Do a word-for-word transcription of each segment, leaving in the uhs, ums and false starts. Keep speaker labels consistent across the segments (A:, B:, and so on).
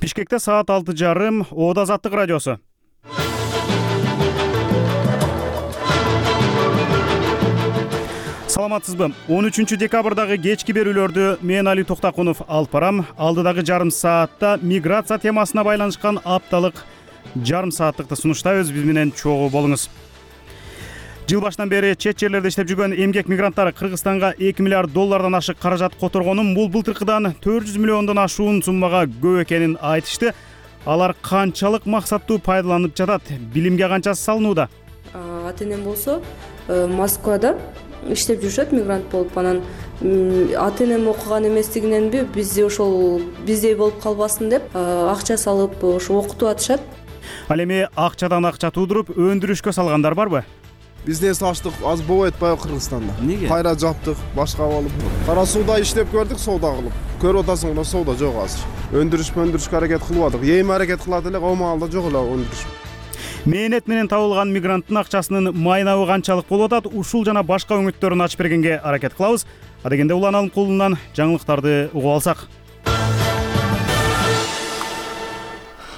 A: Бишкекте саат алты жарым, Ода Азаттык радиосу. Саламатсызбы? он үчүнчү декабрдагы кечки берүүлөрдү мен Али Токтакунов алып барам. Алдыдагы жарым саатта миграция темасына байланышкан апталык жарым сааттыкты сунуштайбыз. Биз менен чогуу болуңуз. Жыл башынан бери чет жерлерде иштеп жүргөн эмгек мигранттары Кыргызстанга эки миллиард доллардан ашык каражат которгонун, бул былтыркыдан төрт жүз миллиондон ашуун суммага көп экенин айтышты. Алар канчалык максаттуу пайдаланып жатат? Билимге канчасы салынууда?
B: Ата-энем болсо Москвада иштеп жүрүшөт, мигрант болуп. Анан ата-энем окуган эместигиненби бизди ошол биздей болуп калбасын деп акча салып ошо окутуп атышат.
A: Ал эми акчадан акча туудуруп өндүрүшкө салгандар барбы?
C: Бизден саштык аз болбой атпайбы Кыргызстанда?
D: Эмнеге?
C: Кайра жаптык, башка болуп. Кара сууда иштеп көрдүк, соода кылып. Көрүп атасың, мына соода жок азыр. Өндүрүш өндүрүшкө аракет кылып атык. Эми аракет кылат элек, омалда жок эле өндүрүш.
A: Мээнет менен табылган мигранттын акчасынын майнабы канчалык болуп атат? Ушул жана башка өңүттөрүн ачып бергенге аракет кылабыз. Адегенде Улан Алымкулунан жаңылыктарды угуп алсак.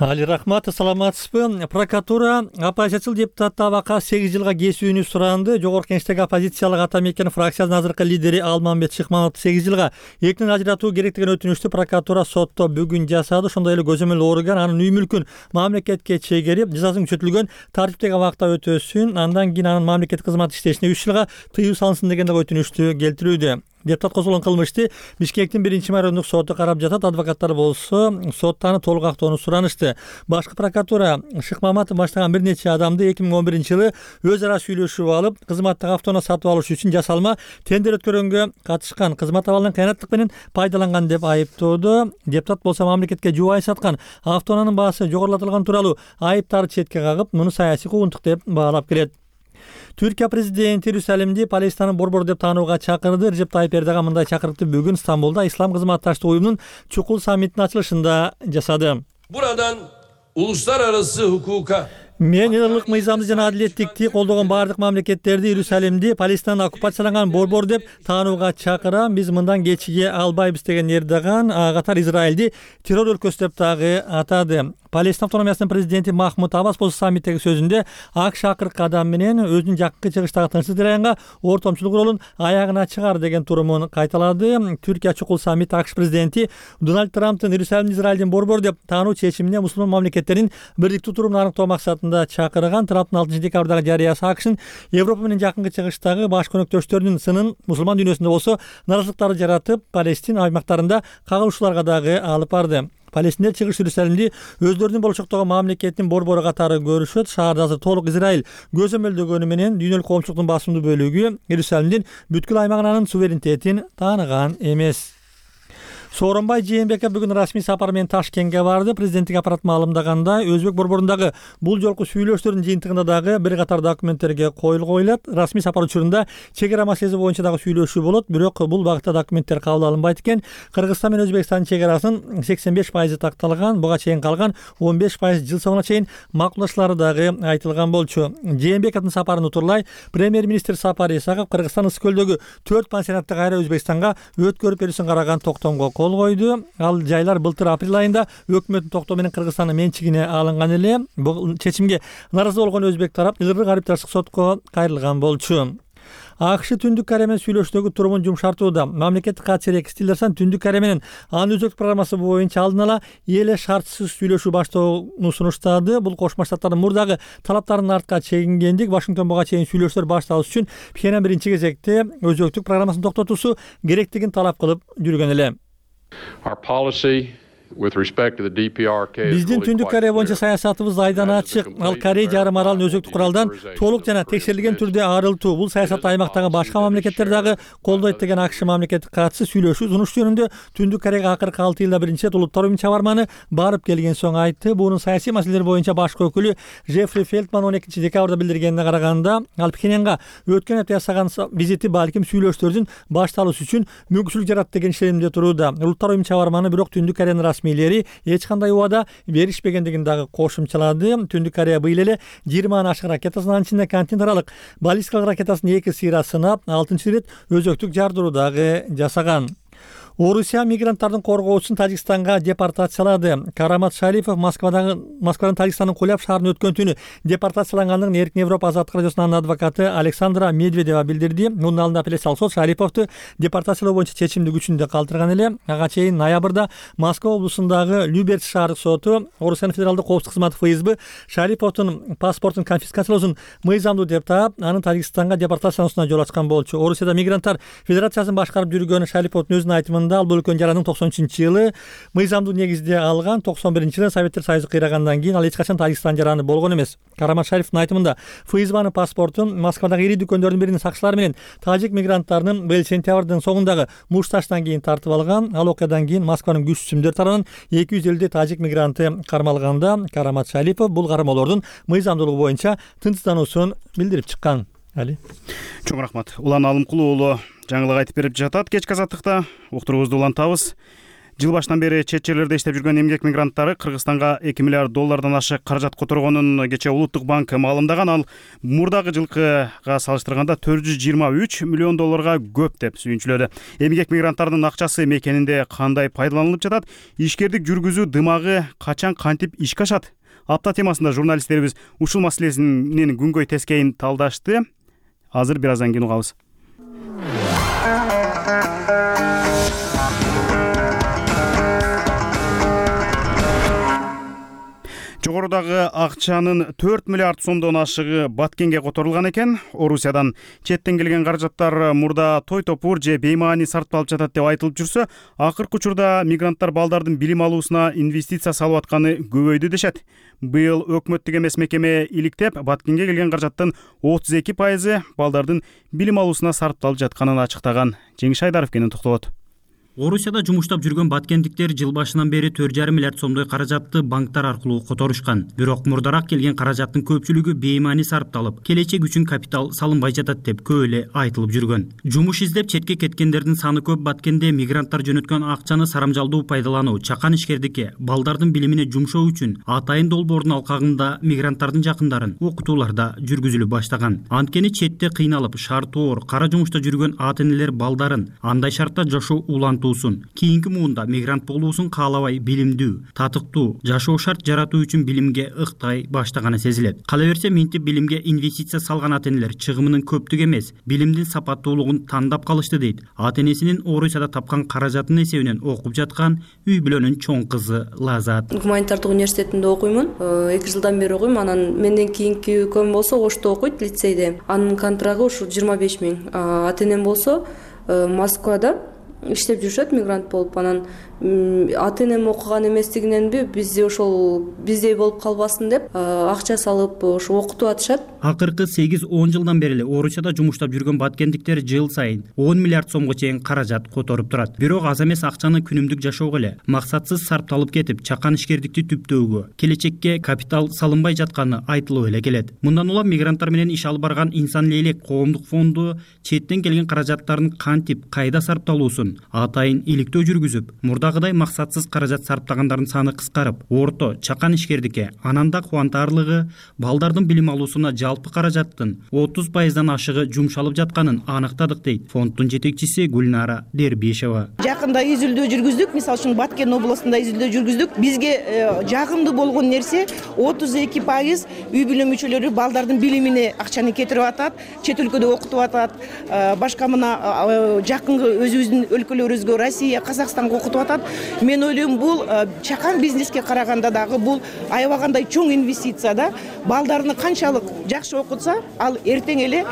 D: Али рахмат, саламатсызбы? Прокуратура оппозициялык депутат Табакка сегиз жылга кесүүнү суранды. Жогорку Кеңештеги оппозициялык ата мекен фракциясынын азыркы лидери Алмамбет Шыкмановду сегиз жылга эркинен ажыратуу керек деген өтүнүштү прокуратура сотто бүгүн жасады. Ошондой эле көзөмөл орган анын үй мүлкүн мамлекетке чегерип, жазасын күчөтүлгөн тартиптеги убакытта өтөсүн, андан кийин анын мамлекеттик кызмат иштешине үч жылга тыюу салынсын деген өтүнүштү келтирүүдө. Депутат козголгон кылмышты Бишкектин биринчи майорундук соту карап жатат. Адвокаттар болсо сотта аны толук актоону суранышты. Башкы прокуратура Шыкмаматов баштаган бир нече адамды эки миң он биринчи жылы өз ара сүйлөшүп алып, кызматтык автоунаа сатып алыш үчүн жасалма тендер өткөргөнгө катышкан, кызмат абалынан кыянаттык менен пайдаланган деп айыптоодо. Депутат болсо мамлекетке жубай саткан автоунаанын баасы жогорулатылган тууралуу айыптарды четке кагып, муну саясий куугунтук деп баалап келет. Түркия президенти Иерусалимди Палестинанын борбору деп таанууга чакырды. Режеп Тайип Эрдоган мындай чакырыкты бүгүн Стамбулда Ислам кызматташтык уюмунун чукул саммитинин ачылышында жасады.
E: Buradan uluslararası hukuka
D: Мен ылык мыйзамды жана адилеттикти колдогон бардык мамлекеттерди Иерусалимди Палестинанын оккупацияланган борбор деп таанууга чакырам. Биз мындан кечиге албайбыз деген Эрдоган катар Израилди террор өлкөсү деп дагы атады. Палестина автономиясынын президенти Махмуд Аббас болсо саммиттеги сөзүндө АКШ акыркы кадам менен өзүнүн жакынкы чыгыштагы тынчсыз жараянга ортомчулук ролун аягына чыгар деген турумун кайталады. Түркия чукул саммит АКШ президенти Дональд Трамптын Иерусалимди Израилдин борбору деп таануу чечимине мусулман мамлекеттердин бирдиктүү турумун аныктоо максатында чакырган. Трамптын алтынчы декабрдагы жарыясы АКШнын Европа менен жакынкы чыгыштагы баш көнөктөштөрүнүн сынын мусулман дүйнөсүндө болсо наразылыктарды жаратып, Палестина аймактарында кагылышууларга дагы алып барды. Палестиндер чыгыш Иерусалимди өздөрүнүн болочоктогу мамлекеттин борбору катары көрүшөт. Шаарда азыр толук Израиль көзөмөлдөгөнү менен дүйнөлүк коомчулуктун басымдуу бөлүгү Иерусалимдин бүткүл аймагынан анын суверенитетин тааныган эмес. Сооронбай Жээнбеков бүгүн расмий сапар менен Ташкентке барды. Президенттик аппарат маалымдагандай, Өзбек борборундагы бул жолку сүйлөшүүлөрдүн жыйынтыгында дагы бир катар документтерге кол коюлат. Расмий сапар учурунда чек ара маселеси боюнча дагы сүйлөшүү болот, бирок бул багытта документтер кабыл алынбайт экен. Кыргызстан менен Өзбекстандын чек арасынын сексен беш пайызы такталган, буга чейин калган он беш пайыз жыл соңуна чейин макулдашлары дагы айтылган болчу. Жээнбековдун сапарын утурлай премьер-министр Сапар Исаков Кыргызстан ысык көлдөгү төрт пансионатты кайра Өзбекстанга өткөрүп берүүсүн караган токтомго кол койду. Ал жайлар былтыр апрель айында өкмөттүн токтоо менен Кыргызстандын менчигине алынган эле. Бул чечимге наразы болгон өзбек тарап Илгыр арбитраждык сотко кайрылган болчу. АКШ Түндүк Корея менен сүйлөшүүдөгү турумун жумшартууда. Мамлекеттик катчы Рекс Тиллерсон Түндүк Корея менен анын өзөктүк программасы боюнча алдын ала эле шартсыз сүйлөшүү баштоону сунуштады. Бул Кошмо Штаттардын мурдагы талаптарынын артка чегингендик. Вашингтон буга чейин сүйлөшүүлөр башталыш үчүн Пхеньян биринчи кезекте өзөктүк программасын токтотуусу керектигин талап кылып жүргөн эле. Биздин Түндүк Корея боюнча саясатыбыз айдан ачык. Ал Корей жарым аралын өзөктүк куралдан толук жана текшерилген түрдө арылтуу. Бул саясатты аймактагы башка мамлекеттер дагы колдойт деген АКШ мамлекеттик катчысы сүйлөшүү сунуш жөнүндө Түндүк Кореяга акыркы алты жылда биринчи рет улуттар уюму чабарманы барып келген соң айтты. Бунун саясий маселелер боюнча башкы өкүлү Джеффри Фелтман он экинчи декабрда билдиргенине караганда, ал Пхеньянга өткөн апта жасаган визити балким сүйлөшүүлөрдүн башталышы үчүн мүмкүнчүлүк жарат деген ишенимде турууда. Улуттар уюму чабарманы бирок Түндүк Кореянын расмийлери эч кандай убада беришпегендигин дагы кошумчалады. Түндүк Корея быйыл эле жыйырмадан ашык ракетасын, анын ичинде континенталык баллистикалык ракетасын эки сыйра сынап, алтынчы рет өзөктүк жардыруу дагы жасаган. Орусия мигранттардын коргоочусун Тажикстанга депортациялады. Карамат Шарипов Москвадагы Москвадан Тажикстандын Куляб шаарына өткөн түнү депортациялангандыгын Эркин Европа азаттык радиосунун адвокаты Александра Медведева билдирди. Мунун алдында апелляциялык сот Шариповду депортациялоо боюнча чечимди күчүндө калтырган эле. Ага чейин ноябрда Москва облусундагы Люберц шаардык соту Орусиянын федералдык коопсуздук кызматы эф эс бэ Шариповдун паспортун конфискациялоосун мыйзамдуу деп таап, анын Тажикстанга депортациялануусуна жол ачкан болчу. Орусияда мигранттар федерациясын башкарып жүргөн Шариповдун өзүнүн айтымында ал бул өлкөнүн жарандыгын токсон үчүнчү жылы мыйзамдуу негизде алган. токсон биринчи жылы Советтер Союзу кыйрагандан кийин ал эч качан Тажикстан жараны болгон эмес. Карамат Шариповдун айтымында эф эс бэнын паспортун Москвадагы ири дүкөндөрдүн биринин сакчылары менен тажик мигранттарынын быйыл сентябрдын соңундагы мушташтан кийин тартып алган. Ал окуядан кийин Москванын күчтүмдөр тарабынан эки жүз элүүдөй тажик мигранты кармалганда, Карамат Шарипов бул кармоолордун мыйзамдуулугу боюнча тынчсыздануусун билдирип чыккан. Али.
A: Чоң рахмат. Улан Алымкулуу уулу жаңылык айтып берип жатат. Кечки азаттыкта уктуруубузду улантабыз. Жыл башынан бери чет жерлерде иштеп жүргөн эмгек мигранттары Кыргызстанга эки миллиард доллардан ашык каражат которгонун кечээ Улуттук банк маалымдаган. Ал мурдагы жылкыга салыштырганда төрт жүз жыйырма үч миллион долларга көп деп сүйүнчүлөдү. Эмгек мигранттардын акчасы мекенинде кандай пайдаланылып жатат? Ишкердик жүргүзүү дымагы качан кантип ишке ашат? Апта темасында журналисттерибиз ушул маселесинин күнгөй тескейин талдашты. Азыр бир аздан кийин угабыз. Жогорудагы акчанын төрт миллиард сомдон ашыгы Баткенге которулган экен. Орусиядан четтен келген каражаттар мурда той топур же беймаани сарпталып жатат деп айтылып жүрсө, акыркы учурда мигранттар балдардын билим алуусуна инвестиция салып атканы көбөйдү дешет. Быйыл өкмөттүк эмес мекеме иликтеп, Баткенге келген каражаттын отуз эки пайызы балдардын билим алуусуна сарпталып жатканын ачыктаган. Жеңиш Айдаров кенен токтолот.
F: Орусияда жумуштап жүргөн баткендиктер жыл башынан бери төрт жарым миллиард сомдой каражатты банктар аркылуу которушкан. Бирок мурдараак келген каражаттын көпчүлүгү беймаани сарпталып, келечек үчүн капитал салынбай жатат деп көп эле айтылып жүргөн. Жумуш издеп четке кеткендердин саны көп. Баткенде мигранттар жөнөткөн акчаны сарамжалдуу пайдалануу, чакан ишкердикке, балдардын билимине жумшоо үчүн Атайын долбоордун алкагында мигранттардын жакындарын окутууларда жүргүзүлүп баштаган. Анткени четте кыйналып, шартоор, кара жумушта жүргөн ата-энелер балдарын андай шартта жашоо улантуу кийинки муунда мигрант болуусун каалабай билимдүү, татыктуу жашоо шарт жаратуу үчүн билимге ыктай баштаганы сезилет. Кала берсе минтип билимге инвестиция салган ата-энелер чыгымынын көптүгү эмес, билимдин сапаттуулугун тандап калышты дейт ата-энесинин Орусияда тапкан каражатынын эсебинен окуп жаткан үй бүлөнүн чоң кызы Лазат.
B: Гуманитардык университетинде окуймун. эки жылдан бери окуйм. Анан менден кийинки экөөм болсо Ошто окуйт, лицейде. Анын контрагы ушу жыйырма беш миң. Ата-энем болсо Москвада иштеп жүрүшөт, мигрант болуп. Анан ата-энем окуган эместигиненби бизди ошол биздей болуп калбасын деп акча салып ошо окутуп атышат.
F: Акыркы сегиз он жылдан бери эле Орусияда жумуштап жүргөн баткендиктер жыл сайын он миллиард сомго чейин каражат которуп турат. Бирок аз эмес акчаны күнүмдүк жашоого эле максатсыз сарпталып кетип, чакан ишкердикти түптөөгө, келечекке капитал салынбай жатканы айтылып эле келет. Мындан улам мигранттар менен иш алып барган Инсан Лейлек коомдук фонду четтен келген каражаттардын кантип, кайда сарпталуусун атайын иликтөө жүргүзүп, мурдагыдай максатсыз каражат сарптагандардын саны кыскарып, орто, чакан ишкердикке, анан да кубантарлыгы балдардын билим алуусуна жалпы каражаттын отуз пайыздан ашыгы жумшалып жатканын аныктадык дейт фонддун жетекчиси Гүлнара Дербишева.
G: Жакында изилдөө жүргүздүк, мисалы үчүн Баткен областында изилдөө жүргүздүк. Бизге жагымдуу болгон нерсе отуз эки пайыз үй бүлө мүчөлөрү балдардын билимине акчаны кетирип атат, чет өлкөдө окутуп атат, башка мына жакынкы өзүбүздүн өлкөлөрүбүзгө, Россия, Казакстанга окутуп атат. Мен ойлойм, бул чакан бизнеске караганда дагы бул аябагандай чоң инвестиция да. Балдарны канчалык жакшы окутса, ал эртең эле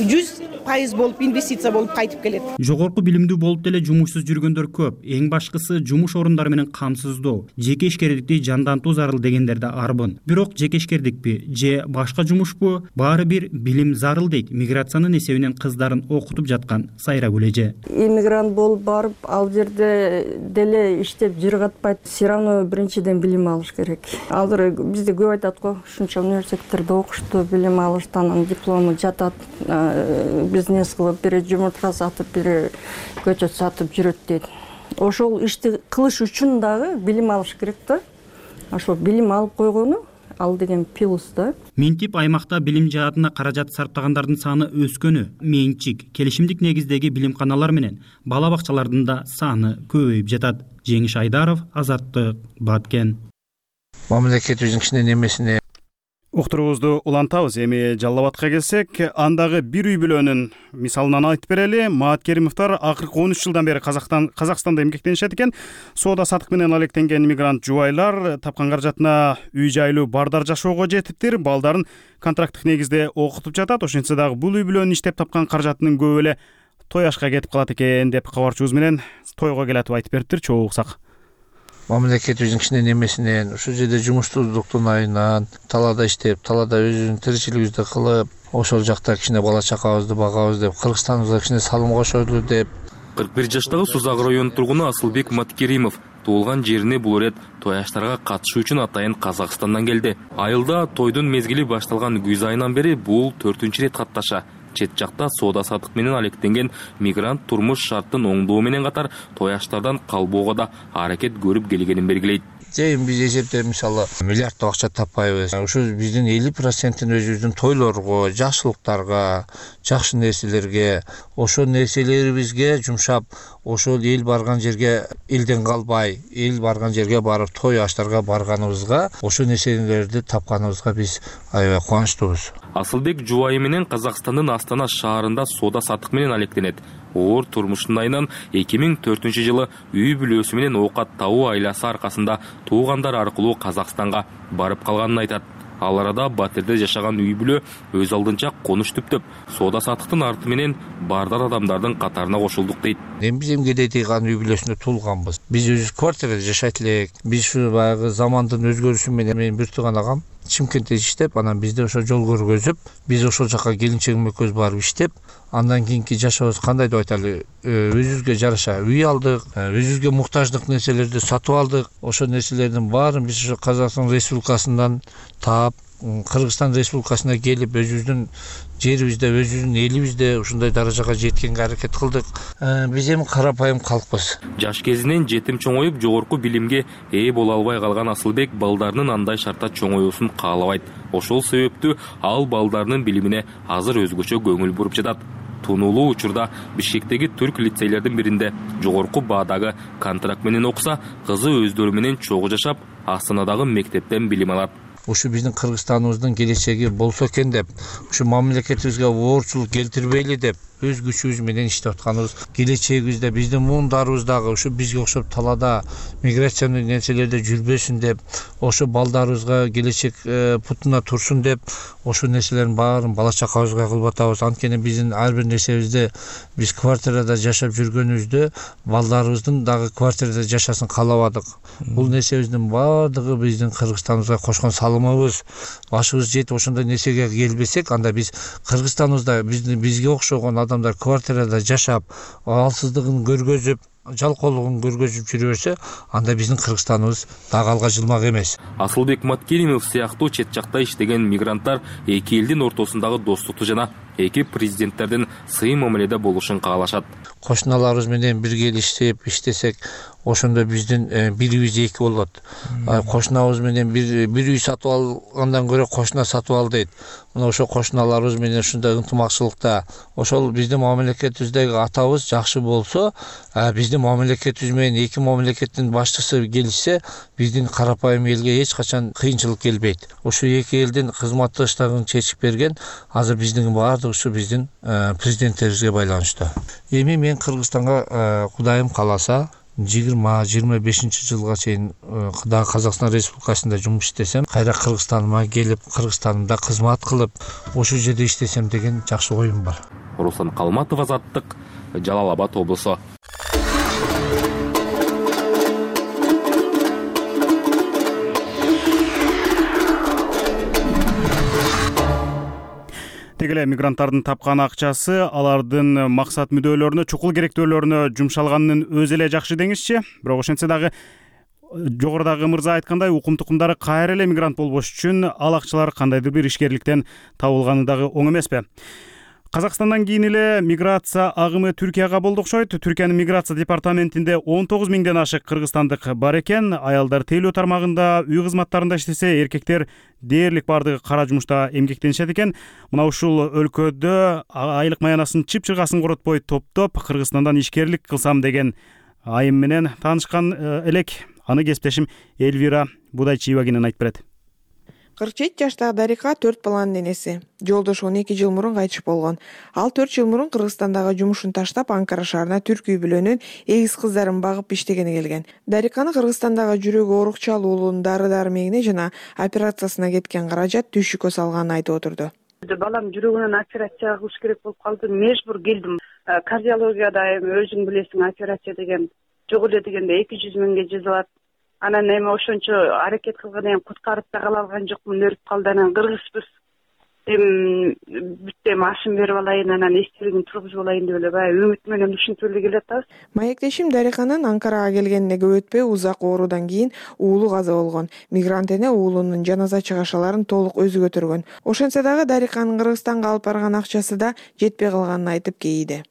G: жүз пайыз болуп инвестиция болуп кайтып келет.
F: Жогорку билимдүү болуп деле жумушсуз жүргөндөр көп. Эң башкысы жумуш орундары менен камсыздоо, жеке ишкердикти жандантуу зарыл дегендер да арбын. Бирок жеке ишкердикпи же башка жумушпу, баары бир билим зарыл дейт миграциянын эсебинен кыздарын окутуп жаткан Сайрагүл эже.
H: Иммигрант болуп барып, ал жерде деле иштеп жыргатпайт. Все равно биринчиден билим алыш керек. Азыр бизде көп айтат го, ушунча университеттерде окушту, билим алышты, анан диплому жатат, бизнес кылып, бири жумуртка сатып, бири көчөт сатып жүрөт дейт. Ошол ишти кылыш үчүн дагы билим алыш керек да. Ошол билим алып койгону ал деген плюс да.
F: Минтип аймакта билим жаатына каражат сарптагандардын саны өскөнү, менчик, келишимдик негиздеги билимканалар менен бала бакчалардын да саны көбөйүп жатат. Жеңиш Айдаров, Азаттык, Баткен.
I: Мамлекетибиздин кичине немесине
A: Уктуруубузду улантабыз. Эми Жалал Абадка келсек, андагы бир үй бүлөнүн мисалынан айтып берели. Маат Керимовдор акыркы он үч жылдан бери Казакстан Казакстанда эмгектенишет экен. Соода сатык менен алектенген мигрант жубайлар тапкан каражатына үй жайлуу бардар жашоого жетиптир. Балдарын контракттык негизде окутуп жатат. Ошентсе дагы бул үй бүлөнүн иштеп тапкан каражатынын көбү эле той ашка кетип калат экен деп кабарчыбыз менен тойго келатып айтып бериптир. Чогуу уксак.
I: Мамлекетибиздин кичине немесинен, ушул жерде жумуштуулуктун айынан талаада иштеп, талаада өзүбүздүн тиричилигибизди кылып, ошол жакта кичине бала чакабызды багабыз деп, Кыргызстаныбызга кичине салым кошойлу деп.
J: кырк бир жаштагы Сузак районунун тургуну Асылбек Маткеримов туулган жерине бул ирет той аштарга катышуу үчүн атайын Казакстандан келди. Айылда тойдун мезгили башталган күз айынан бери бул төртүнчү ирет катташа. Чет жакта соода сатык менен алектенген мигрант турмуш шарттын оңдоо менен катар той аштардан калбоого да аракет көрүп келгенин белгилейт.
I: Жайын биз эсептеп мисалы миллиарддап акча таппайбыз. Ушул биздин элүү процентин өзүбүздүн тойлорго, жакшылыктарга, жакшы нерселерге, ошол нерселерибизге жумшап, ошол эл барган жерге элден калбай, эл барган жерге барып той аштарга барганыбызга, ошол нерселерди тапканыбызга биз аябай кубанычтуубуз.
J: Асылбек жубайы менен Казакстандын Астана шаарында соода сатык менен алектенет. Оор турмуштун айынан эки миң төртүнчү жылы үй бүлөсү менен оокат табуу айласы аркасында туугандар аркылуу Казакстанга барып калганын айтат. Ал арада Батирде жашаган үй бүлө өз алдынча конуш түптөп, соода сатыктын арты менен бардар адамдардын катарына кошулдук дейт.
I: Эми биз эмгеде тийган үй бүлөсүндө туулганбыз. Биз өзүбүз квартирада жашайт элек. Биз ушу баягы замандын өзгөрүшү менен менин бир тууган агам Чимкентте иштеп, анан бизде ошо жол көргөзүп, биз ошол жака келинчегим экөөбүз барып иштеп, андан кийинки жашообуз кандай деп айталы, өзүбүзгө жараша үй алдык, өзүбүзгө муктаждык нерселерди сатып алдык. Ошол нерселердин баарын биз ошо Казакстан Республикасынан таап, Кыргызстан Республикасына келип, өзүбүздүн жерибизде, өзүбүздүн элибизде ушундай даражага жеткенге аракет кылдык. Биз эми карапайым калкпыз.
J: Жаш кезинен жетим чоңоюп, жогорку билимге ээ боло албай калган Асылбек балдарынын андай шартта чоңоюусун каалабайт. Ошол себептүү ал балдарынын билимине азыр өзгөчө көңүл буруп жатат. Тунуулуу учурда Бишкектеги түрк лицейлердин биринде жогорку баадагы контракт менен окуса, кызы өздөрү менен чогуу жашап, Астанадагы мектептен билим алат.
I: Ушу биздин Кыргызстаныбыздын келечеги болсо экен деп, ушу мамлекетибизге оорчулук келтирбейли деп, өз күчүбүз менен иштеп атканыбыз. Келечегибизде биздин муундарыбыз дагы ушу бизге окшоп талаада миграциялык нерселерде жүрбөсүн деп, ошо балдарыбызга келечек путуна турсун деп, ошол нерселердин баарын бала чакабызга кылып атабыз. Анткени биздин ар бир нерсебизде биз квартирада жашап жүргөнүбүздө балдарыбыздын дагы квартирада жашасын каалабадык. Бул нерсебиздин баардыгы биздин Кыргызстаныбызга кошкон салымыбыз. Башыбыз жетип ошондой нерсеге келбесек, анда биз Кыргызстаныбызда бизге окшогон адамдар квартирада жашап, алсыздыгын көргөзүп, жалкоолугун көргөзүп жүрө берсе, анда биздин Кыргызстаныбыз дагы алга жылмак эмес.
J: Асылбек Маткеримов сыяктуу чет жакта иштеген мигранттар эки элдин ортосундагы достукту жана эки президенттердин сый мамиледе болушун каалашат.
I: Кошуналарыбыз менен бирге иштеп, иштесек, ошондо биздин бирибиз эки болот. Кошунабыз менен бир бир үй сатып алгандан көрө кошуна сатып ал дейт. Мына ошо кошуналарыбыз менен ушундай ынтымакчылыкта, ошол биздин мамлекетибиздеги атабыз жакшы болсо, биздин мамлекетибиз менен эки мамлекеттин башчысы келишсе, биздин карапайым элге эч качан кыйынчылык келбейт. Ошо эки элдин кызматташтыгын чечип берген, азыр биздин баардыгы ушу биздин президенттерибизге байланыштуу. Эми мен Кыргызстанга Кудайым кааласа жыйырма жыйырма бешинчи жылга чейин дагы Казакстан Республикасында жумуш иштесем, кайра Кыргызстаныма келип, Кыргызстанымда кызмат кылып, ошол жерде иштесем деген жакшы оюм бар.
J: Руслан Калматов, Азаттык, Жалал Абад облусу.
A: Тегеле мигранттардын тапкан акчасы алардын максат мүдөлөрүнө, чукул керектөөлөрүнө жумшалганын өзү эле жакшы деңизчи. Бирок ошентсе дагы жогорудагы мырза айткандай укум тукумдары кайра эле мигрант болбош үчүн ал акчалар кандайдыр бир ишкерликтен табылганы дагы оң эмеспи. Казакстандан кийин эле миграция агымы Түркияга болду окшойт. Түркиянын миграция департаментинде он тогуз миңден ашык кыргызстандык бар экен. Аялдар тейлөө тармагында, үй кызматтарында иштесе, эркектер дээрлик бардыгы кара жумушта эмгектенишет экен. Мына ушул өлкөдө айлык маянасын чып-чыргасын коротпой топтоп Кыргызстандан ишкерлик кылсам деген айым менен таанышкан элек. Аны кесиптешим Эльвира Будайчиева кенен айтып берет.
K: кырк жети жаштагы Дарика төрт баланын энеси. Жолдошу он эки жыл мурун кайтыш болгон. Ал төрт жыл мурун Кыргызстандагы жумушун таштап, Анкара шаарына түрк үй бүлөнүн эгиз кыздарын багып иштегени келген. Дариканы Кыргызстандагы жүрөгү оорукчал уулунун дары-дармегине жана операциясына кеткен каражат түйшүккө салганын айтып отурду.
L: Балам жүрөгүнөн операция кылыш керек болуп калды. Межбур келдим. Кардиологияда эми өзүң билесиң, операция деген жок эле дегенде эки жүз миңге жазылат. Анан эми ошончо аракет кылган эми куткарып да кала алган жокмун, өлүп калды. Анан кыргызбыз. Эми бүтө машин берип алайын, анан эстелигин тургузуп алайын деп эле баягы үмүт менен ушинтип эле келатабыз.
K: Маектешим Дариканын Анкарага келгенине көп өтпөй узак оорудан кийин уулу каза болгон. Мигрант эне уулунун жаназа чыгашаларын толук өзү көтөргөн. Ошентсе дагы Дариканын Кыргызстанга алып барган акчасы да жетпей калганын айтып кейиди.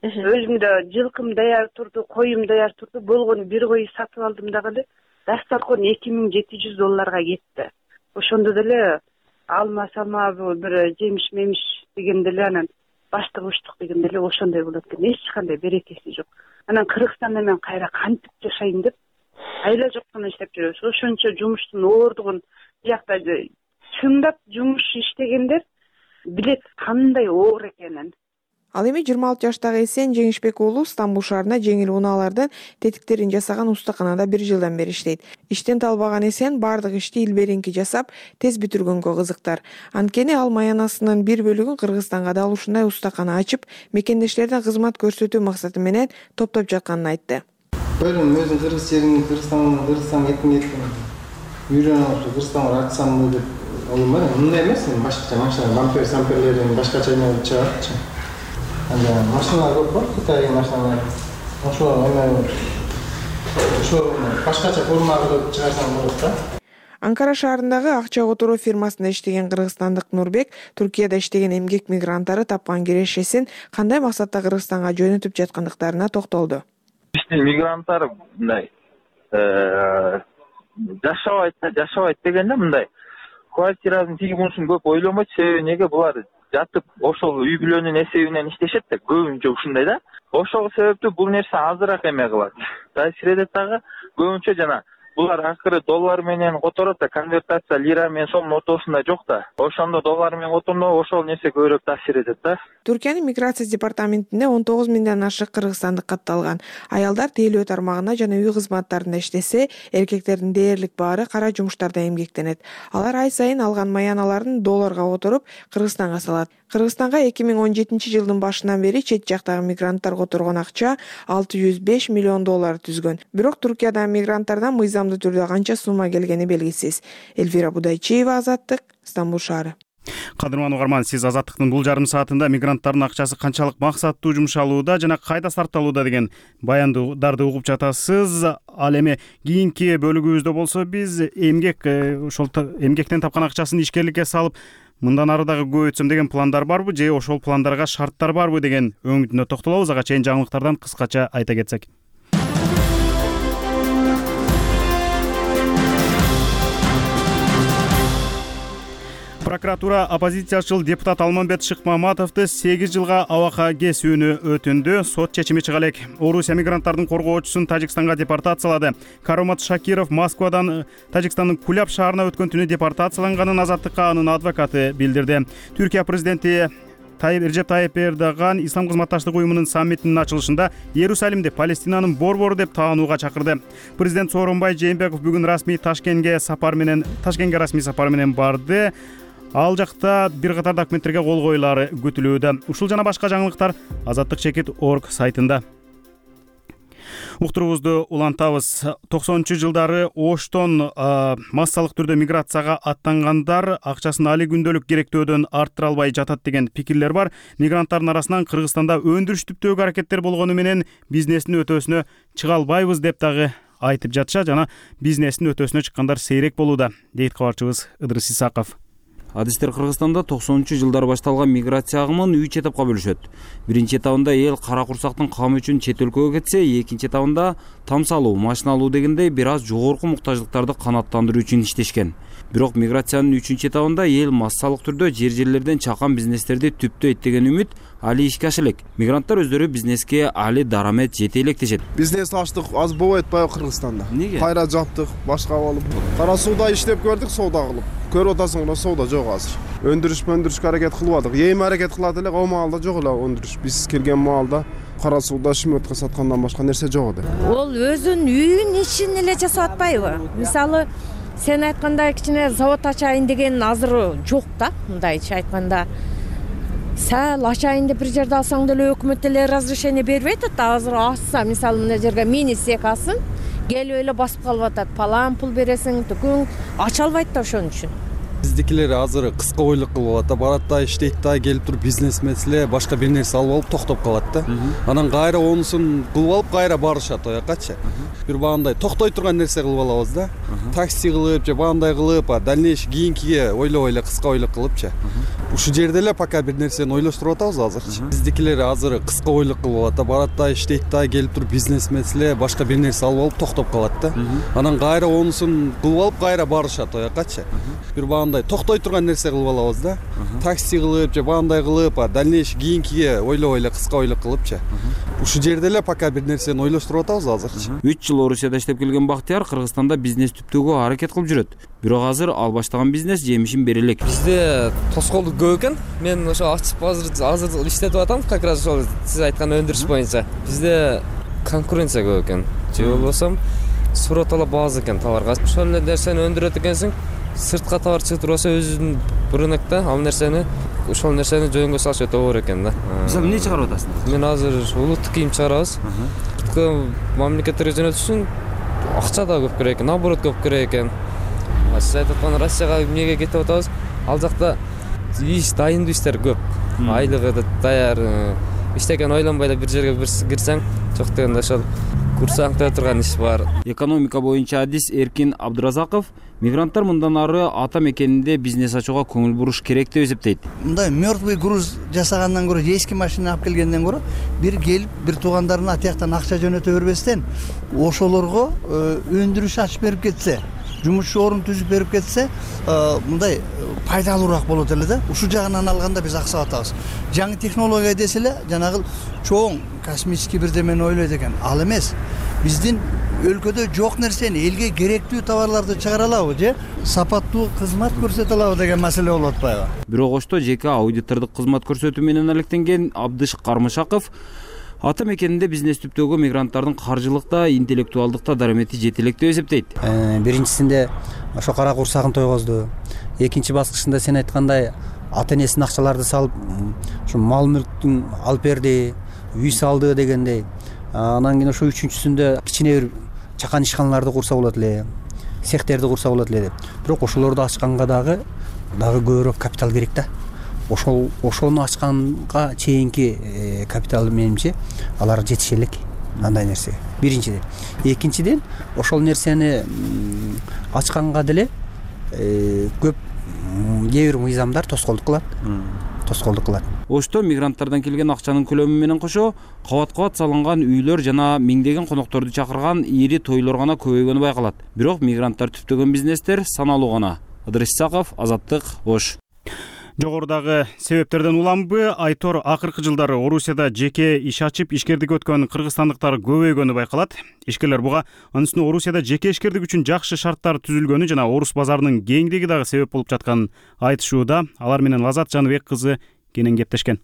L: Өзүмдө жылкым даяр турду, коюм даяр турду. Болгону бир кой сатып алдым дагы эле. Дастаркон эки миң жети жүз долларга кетти. Ошондо деле алма салма бир жемиш мемиш дегенде эле анан баштык учтук дегенде эле ошондой болот экен. Эч кандай берекеси жок. Анан Кыргызстанда мен кайра кантип жашайын деп айла жоктон иштеп жүрөбүз. Ошончо жумуштун оордугун биякта чындап жумуш иштегендер билет кандай оор экенин.
K: Ал эми жыйырма алты жаштагы Эсен Жеңишбек уулу Стамбул шаарында жеңил унаалардын тетиктерин жасаган устаканада бир жылдан бери иштейт. Иштен талбаган Эсен бардык ишти илберинки жасап, тез бүтүргөнгө кызыктар. Анткени ал маянасынын бир бөлүгүн Кыргызстанга да ушундай устакана ачып, мекендештерине кызмат көрсөтүү максаты менен топтоп жатканын айтты.
M: Ойлойм, өзүм кыргыз жерин, Кыргызстанга, Кыргызстанга кетким келет. Үйрөнүп, Кыргызстанга ачсам деп ойлойм. Мындай эмес, башкача машина, бампер, самперлерин башкача эмне чыгат. Анда машиналар көп бар, Кытай машиналар. Ошо эме ошо башкача форма кылып чыгарсаң болот да.
K: Анкара шаарындагы акча которуу фирмасында иштеген кыргызстандык Нурбек Түркияда иштеген эмгек мигранттары тапкан кирешесин кандай максатта Кыргызстанга жөнөтүп жаткандыктарына токтолду.
N: Биздин мигранттар мындай жашабайт да, жашабайт дегенде мындай квартиранын тиги мунусун көп ойломойт. Себеби эмнеге булар жатып ошол үй бүлөнүн эсебинен иштешет да, көбүнчө ушундай да. Ошол себептүү бул нерсе азыраак эме кылат. Таасир этет дагы көбүнчө жана булар акыры доллар менен которот да, конвертация лира менен сомдун ортосунда жок да. Ошондо доллар менен которундо ошол нерсе көбүрөөк таасир этет да.
K: Түркиянын миграция департаментинде он тогуз миңден ашык кыргызстандык катталган. Аялдар тейлөө тармагында жана үй кызматтарында иштесе, эркектердин дээрлик баары кара жумуштарда эмгектенет. Алар ай сайын алган маяналарын долларга которуп Кыргызстанга салат. Кыргызстанга эки миң он жетинчи жылдын башынан бери чет жактагы мигранттар которгон акча алты жүз беш миллион доллар түзгөн. Бирок Түркиядан мигранттардан мыйзамдуу түрдө канча сумма келгени белгисиз. Эльвира Будайчиева, Азаттык, Стамбул шаары.
A: Кадырман угарман, сиз Азаттыктын бул жарым саатында мигранттардын акчасы канчалык максаттуу жумшалууда жана кайда сарпталууда деген баяндарды угуп жатасыз. Ал эми кийинки бөлүгүбүздө болсо биз эмгек ошол эмгектен тапкан акчасын ишкерликке салып мындан ары дагы көбөйтсөм деген пландар барбы же ошол пландарга шарттар барбы деген өңүтүнө токтолобуз. Ага чейин жаңылыктардан кыскача айта кетсек. Прокуратура оппозициячыл депутат Алмамбет Шыкмаматовду сегиз жылга абакка кесүүнү өтүндү. Сот чечими чыга элек. Орусия мигранттардын коргоочусун Тажикстанга депортациялады. Каромат Шакиров Москвадан Тажикстандын Куляб шаарына өткөн түнү депортацияланганын Азаттыкка анын адвокаты билдирди. Түркия президенти Тайып Режеп Тайып Эрдоган Ислам кызматташтык уюмунун саммитинин ачылышында Иерусалимди Палестинанын борбору деп таанууга чакырды. Президент Сооронбай Жээнбеков бүгүн расмий Ташкентке сапар менен Ташкентке расмий сапар менен барды. Ал жакта бир катар документтерге кол коюлары күтүлүүдө. Ушул жана башка жаңылыктар азаттык чекит точка орг сайтында. Уктурубузду улантабыз. токсонунчу жылдары Оштон массалык түрдө миграцияга аттангандар акчасын али күндөлүк керектөөдөн арттыра албай жатат деген пикирлер бар. Мигранттардын арасынан Кыргызстанда өндүрүш түптөөгө аракеттер болгону менен бизнестин өтөөсүнө чыга албайбыз деп дагы айтып жатышат жана бизнестин өтөөсүнө чыккандар сейрек болууда, дейт кабарчыбыз Ыдырыс Исаков.
O: Адистер Кыргызстанда токсонунчу жылдары башталган миграция агымын үч этапка бөлүшөт. Биринчи этабында эл кара курсактын камы үчүн чет өлкөгө кетсе, экинчи этабында там салуу, машина алуу дегендей бир аз жогорку муктаждыктарды канааттандыруу үчүн иштешкен. Бирок миграциянын үчүнчү этабында эл массалык түрдө жер жерлерден чакан бизнестерди түптөйт деген үмүт али ишке аша элек. Мигранттар өздөрү бизнеске али дарамет жете элек дешет.
C: Бизнес ачтык аз болбойт атпайбы Кыргызстанда?
O: Неге?
C: Кайра жаптык, башка болуп. Кара сууда иштеп көрдүк, соода кылып. Көрүп атасың, мына соода жок азыр. Өндүрүш өндүрүшкө аракет кылып атык. Эми аракет кылат элек, о маалда жок эле өндүрүш. Биз келген маалда кара сууда шмөткө саткандан башка нерсе жок эди.
P: Ол өзүнүн үйүн ишин эле жасап атпайбы? Мисалы, сен айткандай кичине завод ачайын деген азыр жок да, мындайча айтканда. Сәл ачайын деп бир жерде алсаң деле өкмөт эле разрешение бербейт да. Азыр ачса, мисалы, мына жерге мини сек асын, келип эле басып калып атат. Палан пул бересиң, түкүң ача албайт да ошон үчүн.
Q: Биздикилер азыр кыска ойлук кылып атат да, барат да, иштейт да, келип туруп бизнес меселе, башка бир нерсе алып алып токтоп калат да. Анан кайра онусун кылып алып кайра барышат оякачы. Бир баандай токтой турган нерсе кылып алабыз да. Такси кылып же баандай кылып, дальнейший кийинкиге ойлобой эле кыска ойлук кылыпчы. Ушул жерде эле пока бир нерсени ойлоштуруп атабыз азырчы. Биздикилер азыр кыска ойлук кылып атат да, барат да, иштейт да, келип туруп бизнес меселе, башка бир нерсе алып алып токтоп калат да. Анан кайра онусун кылып алып кайра барышат оякачы. Бир баандай токтой турган нерсе кылып алабыз да. Такси кылып же баандай кылып, дальнейший кийинкиге ойлобой эле кыска ойлук кылыпчы. Ушул жерде эле пока бир нерсени ойлоштуруп атабыз азырчы.
O: үч жыл Орусияда иштеп келген Бактияр Кыргызстанда бизнес түптөөгө аракет кылып жүрөт. Бирок азыр ал баштаган бизнес жемишин бере элек.
R: Бизде тоскоолдук көп экен. Мен ошо ачып азыр азыр иштетип атам, как раз ошол сиз айткан өндүрүш боюнча. Бизде конкуренция көп экен. Же болбосо суроо талап аз экен товарга. Ошол эле нерсени өндүрөт экенсиң, сыртка товар чыгып атса өзүнүн рынокто ал нерсени ошол нерсени жөнгө салыш өтө оор экен да.
O: Мисалы эмне чыгарып атасың?
R: Мен азыр улуттук кийим чыгарабыз. Сырткы мамлекеттерге жөнөтүш үчүн акча да көп керек экен, наоборот көп керек экен. Сиз айтып аткан Россияга эмнеге кетип атабыз? Ал жакта иш дайындуу иштер көп. Айлыгы да даяр. Иштеген ойлонбой эле бир жерге бир кирсең, жок дегенде ошол курсаң өтө турган иш бар.
O: Экономика боюнча адис Эркин Абдыразаков мигранттар мындан ары ата мекенинде бизнес ачууга көңүл буруш керек деп эсептейт.
S: Мындай мертвый груз жасагандан көрө, эски машина алып келгенден көрө, бир келип бир туугандарына атияктан акча жөнөтө бербестен, ошолорго өндүрүш ачып берип кетсе, жумушчу орун түзүп берип кетсе, мындай пайдалуураак болот эле да. Ушул жагынан алганда биз аксап атабыз. Жаңы технология десе эле, жанагы чоң космический бирдемени ойлойт экен. Ал эмес. Биздин өлкөдө жок нерсени, элге керектүү товарларды чыгара алабы же сапаттуу кызмат көрсөтө алабы деген маселе болуп атпайбы?
O: Бирок ошто жеке аудитордук кызмат көрсөтүү менен алектенген Абдыш Кармышаков ата мекенинде бизнес түптөөгө мигранттардын каржылыкта, интеллектуалдыкта дарамети жете элек деп эсептейт.
T: Биринчисинде ошо кара курсагын тойгозду. Экинчи баскычында сен айткандай ата энесинин акчаларды салып, ушу мал мүлктүн алып берди, үй салды дегендей. Анан кийин ошо үчүнчүсүндө кичине бир чакан ишканаларды курса болот эле, цехтерди курса болот эле деп. Бирок ошолорду ачканга дагы дагы көбүрөөк капитал керек да. Ошол ошону ачканга чейинки капитал менимче алар жетише элек андай нерсеге. Биринчиден. Экинчиден ошол нерсени ачканга деле көп кээ бир мыйзамдар тоскоолдук кылат. Тоскоолдук кылат.
O: Ошто мигранттардан келген акчанын көлөмү менен кошо кабат-кабат салынган үйлөр жана миңдеген конокторду чакырган ири тойлор гана көбөйгөнү байкалат. Бирок мигранттар түптөгөн бизнестер саналуу гана. Ыдырыс Исаков, Азаттык, Ош.
A: Жогорудагы себептерден уламбы Айтор акыркы жылдары Орусияда жеке иш ачып ишкердик өткөн кыргызстандыктар көбөйгөнү байкалат. Ишкерлер буга анын үстүнө Орусияда жеке ишкердик үчүн жакшы шарттар түзүлгөнү жана орус базарынын кеңдиги дагы себеп болуп жатканын айтышууда. Алар менен Лазат Жаныбек кызы кенен кептешкен.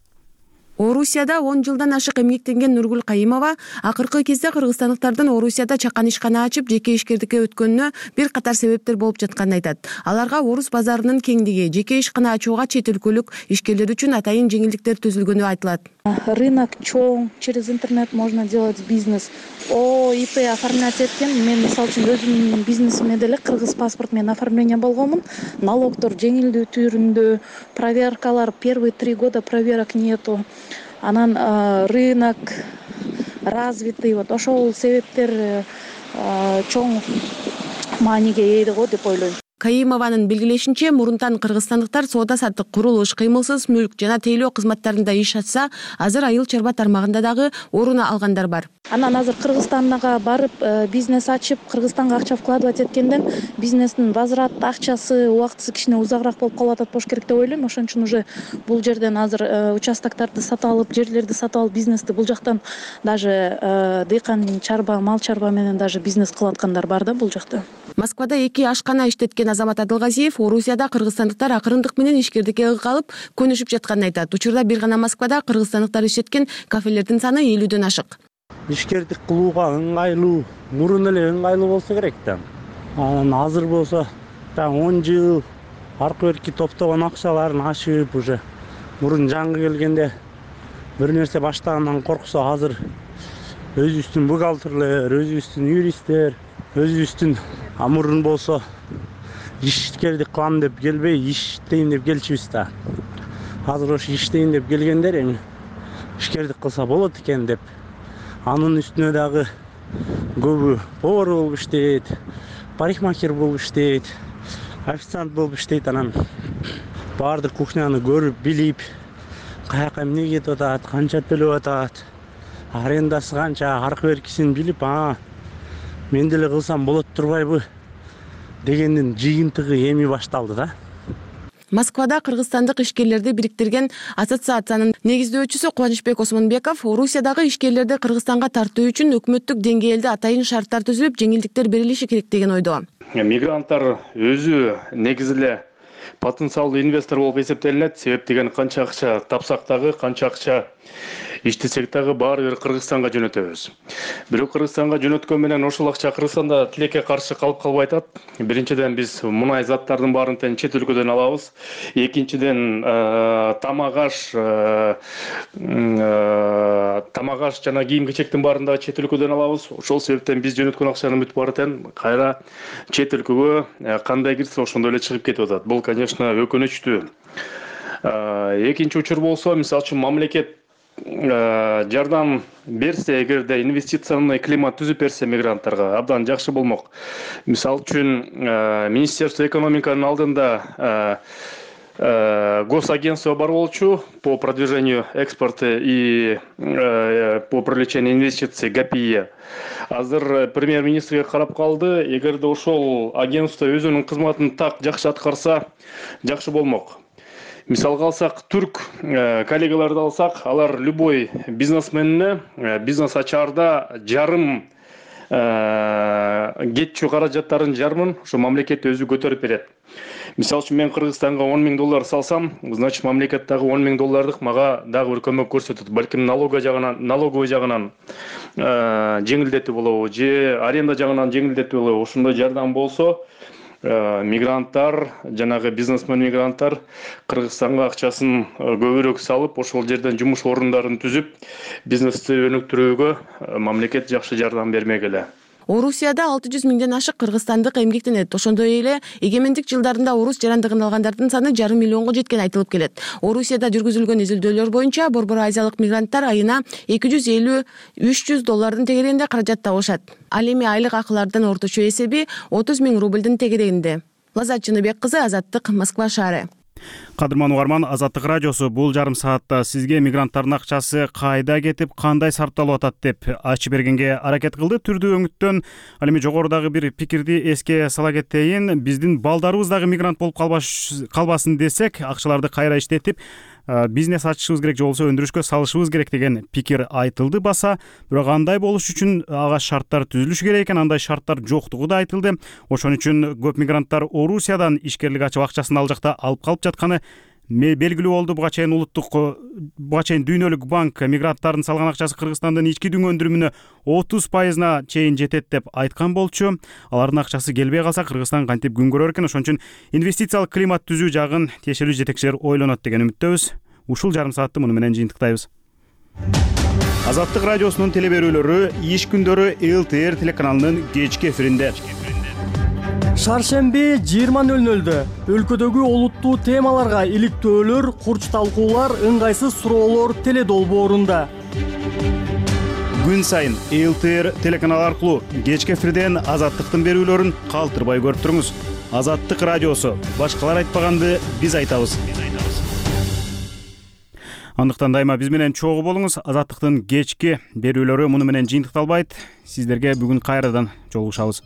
U: Орусияда он жылдан ашык эмгектенген Нургүл Кайымова акыркы кезде кыргызстандыктардын Орусияда чакан ишкана ачып жеке ишкердикке өткөнүнө бир катар себептер болуп жатканын айтат. Аларга орус базарынын кеңдиги, жеке ишкана ачууга чет өлкөлүк ишкерлер үчүн атайын жеңилдиктер түзүлгөнү айтылат.
V: Рынок чоң, через интернет можно делать бизнес. О И П оформлять эткен, мен мисалы үчүн өзүмдүн бизнесиме деле кыргыз паспорт менен оформление болгонмун. Налогдор жеңилдүү түрүндө, проверкалар первые три года проверок нету. Анан рынок развитый, вот ошол себептер чоң мааниге ээ го деп ойлойм.
U: Каимованын белгилешинче, мурунтан кыргызстандыктар соода саттык, курулуш, кыймылсыз мүлк жана тейлөө кызматтарында иш ачса, азыр айыл чарба тармагында дагы орун алгандар бар.
V: Анан азыр Кыргызстанга барып бизнес ачып, Кыргызстанга акча вкладывать эткенден бизнестин возврат акчасы убактысы кичине узагыраак болуп калып атат болуш керек деп ойлойм. Ошон үчүн уже бул жерден азыр участокторду сатып алып, жерлерди сатып алып, бизнести бул жактан даже дыйкан чарба, мал чарба менен даже бизнес кылып аткандар бар да бул жакта.
U: Москвада эки ашкана иштеткен Азамат Адылгазиев Орусияда кыргызстандыктар акырындык менен ишкердикке ыкалып көнүшүп жатканын айтат. Учурда бир гана Москвада кыргызстандыктар иштеткен кафелердин саны элүүдөн ашык.
D: Ишкердик кылууга ыңгайлуу, мурун эле ыңгайлуу болсо керек да. Анан азыр болсо так он жыл аркы берки топтогон акчаларын ашып уже мурун жаңы келгенде бир нерсе баштагандан корксо, азыр өзүбүздүн бухгалтерлер, өзүбүздүн юристтер, өзүбүздүн мурун болсо ишкердик кылам деп келбей, иштейм деп келчүбүз да. Азыр ошо иштейм деп келгендер эми ишкердик кылса болот экен деп. Анын үстүнө дагы көбү повар болуп иштейт, парикмахер болуп иштейт, официант болуп иштейт. Анан баардык кухняны көрүп, билип, каяка эмне кетип атат, канча төлөп атат, арендасы канча, аркы беркисин билип, а мен деле кылсам болот турбайбы дегендин жыйынтыгы эми башталды да.
U: Москвада кыргызстандык ишкерлерди бириктирген ассоциациянын негиздөөчүсү Кубанычбек Осмонбеков Орусиядагы ишкерлерди Кыргызстанга тартуу үчүн өкмөттүк деңгээлде атайын шарттар түзүлүп, жеңилдиктер берилиши керек деген ойдо.
E: Мигранттар өзү негизи эле потенциалдуу инвестор болуп эсептелинет. Себеп деген канча акча тапсак дагы, канча акча иштесек дагы баары бир Кыргызстанга жөнөтөбүз. Бирок Кыргызстанга жөнөткөн менен ошол акча Кыргызстанда тилекке каршы калып калбай атат. Биринчиден биз мунай заттардын баарын тең чет өлкөдөн алабыз. Экинчиден тамак аш, тамак аш жана кийим-кечектин баарын дагы чет өлкөдөн алабыз. Ошол себептен биз жөнөткөн акчанын бүт баары тең кайра чет өлкөгө кандай кирсе ошондой эле чыгып кетип атат. Бул, конечно, өкүнүчтүү. Экинчи учур болсо, мисалы үчүн мамлекет жардам берсе, эгерде инвестиционный климат түзүп берсе мигранттарга абдан жакшы болмок. Мисалы үчүн Министерство экономиканын алдында госагентство бар болчу по продвижению экспорта и по привлечению инвестиций ГАПИ. Азыр премьер-министрге карап калды. Эгерде ошол агентство өзүнүн кызматын так жакшы аткарса, жакшы болмок. Мисалга алсак, түрк коллегаларды алсак, алар любой бизнесменне бизнес ачаарда жарым кетчү каражаттарын жарымын ошо мамлекет өзү көтөрүп берет. Мисалы үчүн мен Кыргызстанга он миң доллар салсам, значит мамлекет дагы он миң доллардык мага дагы бир көмөк көрсөтөт. Балким налога жагынан, налоговый жагынан жеңилдетүү болобу, же аренда жагынан жеңилдетүү болобу. Ошондой жардам болсо, мигранттар, жанагы бизнесмен мигранттар Кыргызстанга акчасын көбүрөөк салып, ошол жерден жумуш орундарын түзүп, бизнести өнүктүрүүгө мамлекет жакшы жардам бермек эле.
U: Орусияда алты жүз миңден ашык кыргызстандык эмгектенет. Ошондой эле эгемендик жылдарында орус жарандыгын алгандардын саны жарым миллионго жеткени айтылып келет. Орусияда жүргүзүлгөн изилдөөлөр боюнча борбор азиялык мигранттар айына эки жүз элүү үч жүз доллардын тегерегинде каражат табышат. Ал эми айлык акылардын орточо эсеби отуз миң рублдын тегерегинде. Лазат Жыныбек кызы, Азаттык, Москва шаары.
A: Кадырман угарман, Азаттык радиосу бул жарым саатта сизге мигранттардын акчасы кайда кетип, кандай сарпталып атат деп ачып бергенге аракет кылды. Түрдүү өңүттөн ал эми жогорудагы бир пикирди эске сала кетейин. Биздин балдарыбыз дагы мигрант болуп калбасын десек, акчаларды кайра иштетип бизнес ачышыбыз керек, же болбосо өндүрүшкө салышыбыз керек деген пикир айтылды баса. Бирок андай болуш үчүн ага шарттар түзүлүшү керек экен, андай шарттар жоктугу да айтылды. Ошон үчүн көп мигранттар Орусиядан ишкерлик ачып акчасын ал жакта алып калып жатканы белгилүү болду. Буга чейин улуттук, буга чейин дүйнөлүк банк мигранттардын салган акчасы Кыргызстандын ички дүң өндүрүмүнө отуз пайызына чейин жетет деп айткан болчу. Алардын акчасы келбей калса Кыргызстан кантип күн көрөр экен. Ошон үчүн инвестициялык климат түзүү жагын тиешелүү жетекчилер ойлонот деген үмүттөбүз. Ушул жарым саатты муну менен жыйынтыктайбыз. Азаттык радиосунун теле берүүлөрү иш күндөрү эл ти эр телеканалынын кечки эфиринде.
W: Шаршемби жыйырма нөл нөлдө өлкөдөгү олуттуу темаларга иликтөөлөр, курч талкуулар, ыңгайсыз суроолор теле долбоорунда.
A: күн сайын эл тэ эр телеканалы аркылуу кечки эфирден Азаттыктын берүүлөрүн калтырбай көрүп туруңуз. Азаттык радиосу. Башкалар айтпаганды биз айтабыз. Андыктан дайыма биз менен чогуу болуңуз. Азаттыктын кечки берүүлөрү муну менен жыйынтыкталбайт. Сиздерге бүгүн кайрадан жолугушабыз.